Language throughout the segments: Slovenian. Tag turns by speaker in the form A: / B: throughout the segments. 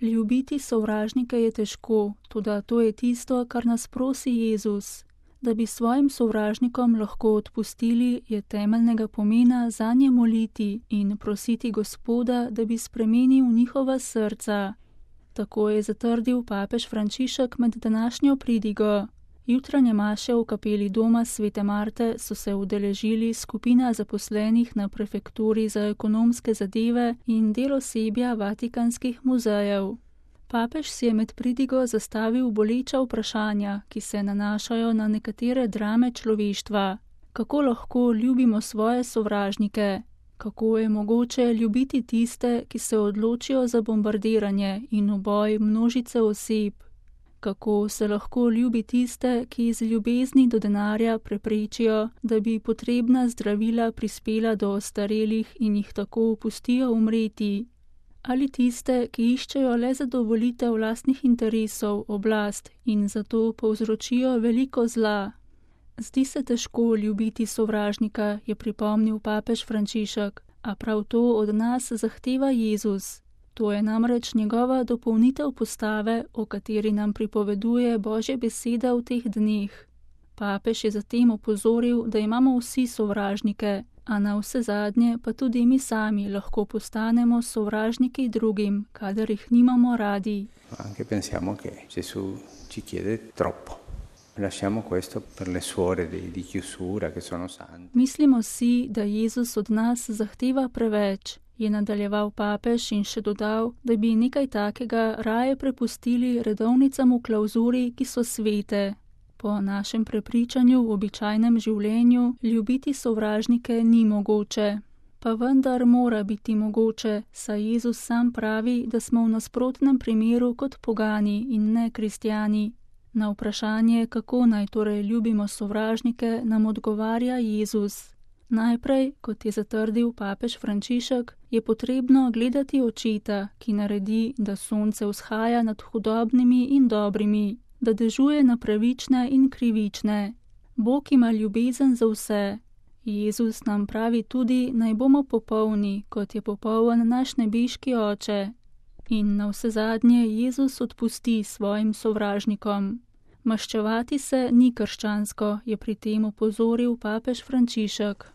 A: Ljubiti sovražnike je težko, toda to je tisto, kar nas prosi Jezus. Da bi svojim sovražnikom lahko odpustili, je temeljnega pomena zanje moliti in prositi Gospoda, da bi spremenil njihova srca. Tako je zatrdil papež Frančišek med današnjo pridigo. Jutranje maše v kapeli doma Svete Marte so se udeležili skupina zaposlenih na prefekturi za ekonomske zadeve in del osebja vatikanskih muzejev. Papež si je med pridigo zastavil boleča vprašanja, ki se nanašajo na nekatere drame človeštva. Kako lahko ljubimo svoje sovražnike? Kako je mogoče ljubiti tiste, ki se odločijo za bombardiranje in uboj množice oseb? Kako se lahko ljubi tiste, ki iz ljubezni do denarja preprečijo, da bi potrebna zdravila prispela do ostarelih in jih tako pustijo umreti? Ali tiste, ki iščejo le zadovoljitev lastnih interesov, oblast in zato povzročijo veliko zla? Zdi se težko ljubiti sovražnika, je pripomnil papež Frančišek, a prav to od nas zahteva Jezus. To je namreč njegova dopolnitev postave, o kateri nam pripoveduje Božja beseda v teh dneh. Papež je zatem opozoril, da imamo vsi sovražnike, a na vse zadnje pa tudi mi sami lahko postanemo sovražniki drugim, kadar jih nimamo radi.
B: Anche pensiamo che Gesù ci chiede troppo. Lasciamo questo per le suore di chiusura che sono sante.
A: Mislimo si, da Jezus od nas zahteva preveč, je nadaljeval papež in še dodal, da bi nekaj takega raje prepustili redovnicam v klauzuri, ki so svete. Po našem prepričanju v običajnem življenju ljubiti sovražnike ni mogoče. Pa vendar mora biti mogoče, saj Jezus sam pravi, da smo v nasprotnem primeru kot pogani in ne kristjani. Na vprašanje, kako naj torej ljubimo sovražnike, nam odgovarja Jezus. Najprej, kot je zatrdil papež Frančišek, je potrebno gledati očeta, ki naredi, da sonce vzhaja nad hudobnimi in dobrimi, da dežuje na pravične in krivične. Bog ima ljubezen za vse. Jezus nam pravi tudi, naj bomo popolni, kot je popoln naš nebeški oče. In na vse zadnje Jezus odpusti svojim sovražnikom. Maščevati se ni krščansko, je pri tem opozoril papež Frančišek.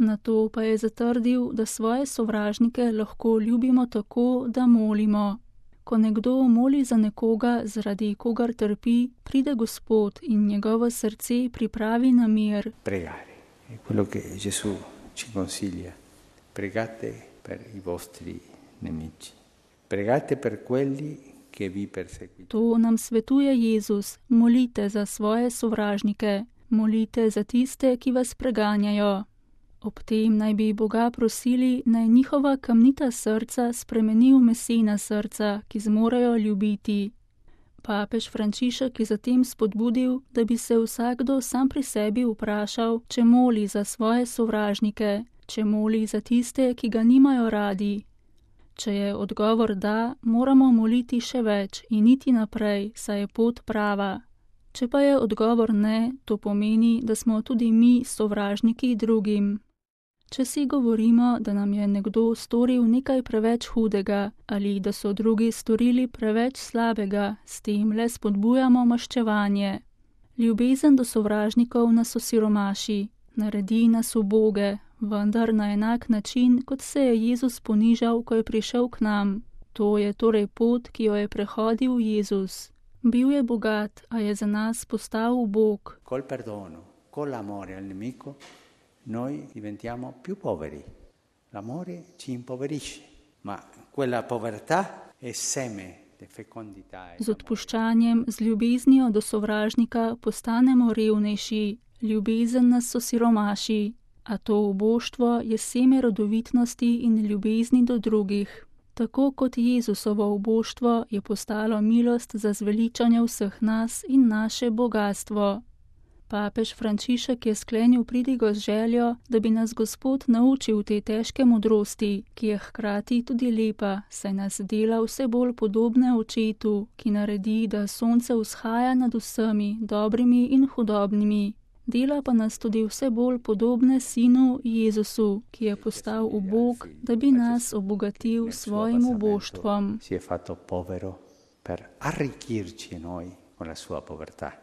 A: Nato pa je zatrdil, da svoje sovražnike lahko ljubimo tako, da molimo. Ko nekdo moli za nekoga, zaradi kogar trpi, pride Gospod in njegovo srce pripravi na mir.
B: Pregare. È quello che Gesù ci consiglia. Pregate per i vostri nemici. Pregate per quelli che vi perseguitano.
A: To nam svetuje Jezus. Molite za svoje sovražnike. Molite za tiste, ki vas preganjajo. Ob tem naj bi Boga prosili, naj njihova kamnita srca spremeni v mesena srca, ki zmorejo ljubiti. Papež Frančišek je zatem spodbudil, da bi se vsakdo sam pri sebi vprašal, če moli za svoje sovražnike, če moli za tiste, ki ga nimajo radi. Če je odgovor da, moramo moliti še več in iti naprej, saj je pot prava. Če pa je odgovor ne, to pomeni, da smo tudi mi sovražniki drugim. Če si govorimo, da nam je nekdo storil nekaj preveč hudega ali da so drugi storili preveč slabega, s tem le spodbujamo maščevanje. Ljubezen do sovražnikov nas osiromaši, naredi nas uboge, vendar na enak način, kot se je Jezus ponižal, ko je prišel k nam. To je torej pot, ki jo je prehodil Jezus. Bil je bogat, a je za nas postal ubog.
B: Col perdono, con l'amore al nemico, noi diventiamo più poveri. L'amore ci impoverisce, ma quella povertà è seme di fecondità.
A: Z odpuščanjem, z ljubeznijo do sovražnika postanemo revnejši, ljubezen nas osiromaši, a to uboštvo je seme rodovitnosti in ljubezni do drugih. Tako kot Jezusovo uboštvo je postalo milost za zveličanje vseh nas in naše bogastvo. Papež Frančišek je sklenil pridigo z željo, da bi nas Gospod naučil te težke modrosti, ki je hkrati tudi lepa, saj nas dela vse bolj podobne očetu, ki naredi, da sonce vzhaja nad vsemi, dobrimi in hudobnimi. Dela pa nas tudi vse bolj podobne Sinu Jezusu, ki je postal ubog, da bi nas obogatil s svojim uboštvom.
B: Si è fatto povero per arricchirci noi con la sua povertà.